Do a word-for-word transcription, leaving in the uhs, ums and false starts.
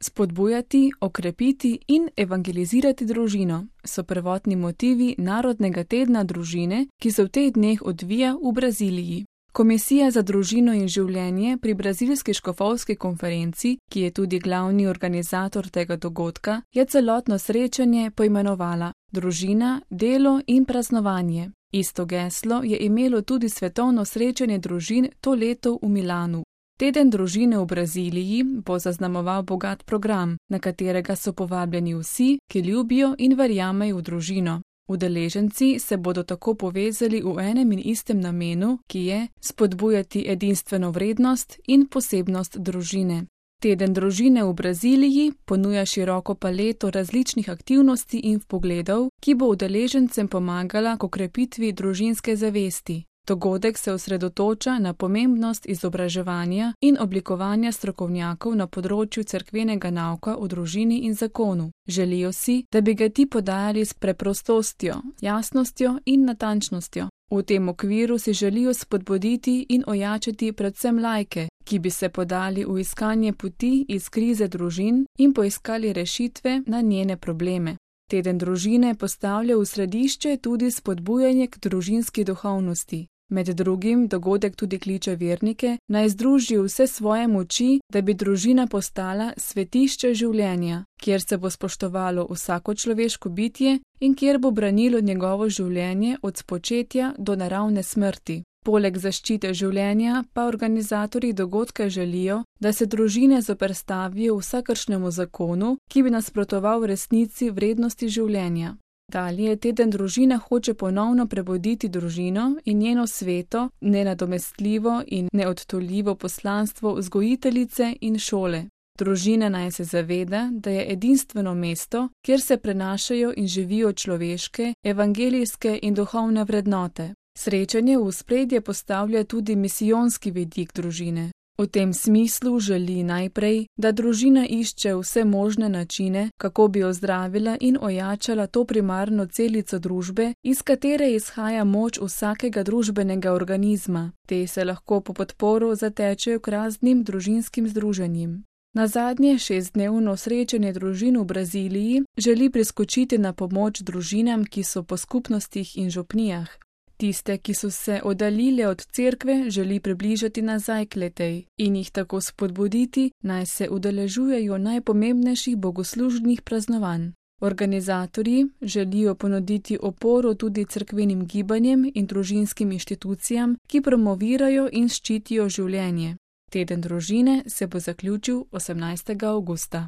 Spodbujati, okrepiti in evangelizirati družino so prvotni motivi Narodnega tedna družine, ki se v teh dneh odvija v Braziliji. Komisija za družino in življenje pri Brazilski škofovski konferenci, ki je tudi glavni organizator tega dogodka, je celotno srečanje poimenovala Družina, delo in praznovanje. Isto geslo je imelo tudi svetovno srečanje družin to leto v Milanu. Teden družine v Braziliji bo zaznamoval bogat program, na katerega so povabljeni vsi, ki ljubijo in verjamejo v družino. Udeleženci se bodo tako povezali v enem in istem namenu, ki je spodbujati edinstveno vrednost in posebnost družine. Teden družine v Braziliji ponuja široko paleto različnih aktivnosti in vpogledov, ki bo udeležencem pomagala k okrepitvi družinske zavesti. Dogodek se osredotoča na pomembnost izobraževanja in oblikovanja strokovnjakov na področju cerkvenega nauka o družini in zakonu. Želijo si, da bi ga ti podajali s preprostostjo, jasnostjo in natančnostjo. V tem okviru si želijo spodbuditi in ojačati predvsem laike, ki bi se podali v iskanje poti iz krize družin in poiskali rešitve na njene probleme. Teden družine postavlja v središče tudi spodbujanje k družinski duhovnosti. Med drugim dogodek tudi kliče vernike, naj združijo vse svoje moči, da bi družina postala svetišče življenja, kjer se bo spoštovalo vsako človeško bitje in kjer bo branilo njegovo življenje od spočetja do naravne smrti. Poleg zaščite življenja pa organizatorji dogodka želijo, da se družine zoperstavijo vsakršnemu zakonu, ki bi nasprotoval resnici vrednosti življenja. Dalje teden družine hoče ponovno prebuditi družino in njeno sveto, nenadomestljivo in neodtujljivo poslanstvo vzgojiteljice in šole. Družina naj se zaveda, da je edinstveno mesto, kjer se prenašajo in živijo človeške, evangelijske in duhovne vrednote. Srečanje v ospredje postavlja tudi misijonski vidik družine. V tem smislu želi najprej, da družina išče vse možne načine, kako bi ozdravila in ojačala to primarno celico družbe, iz katere izhaja moč vsakega družbenega organizma. Te se lahko po podporu zatečejo k raznim družinskim združenjem. Na zadnje šestdnevno srečanje družin v Braziliji želi priskočiti na pomoč družinam, ki so po skupnostih in župnijah. Tiste, ki so se oddaljile od cerkve, želi približati nazaj k letej in jih tako spodbuditi, naj se udeležujejo najpomembnejših bogoslužnih praznovanj. Organizatorji želijo ponuditi oporo tudi cerkvenim gibanjem in družinskim inštitucijam, ki promovirajo in ščitijo življenje. Teden družine se bo zaključil osemnajstega avgusta.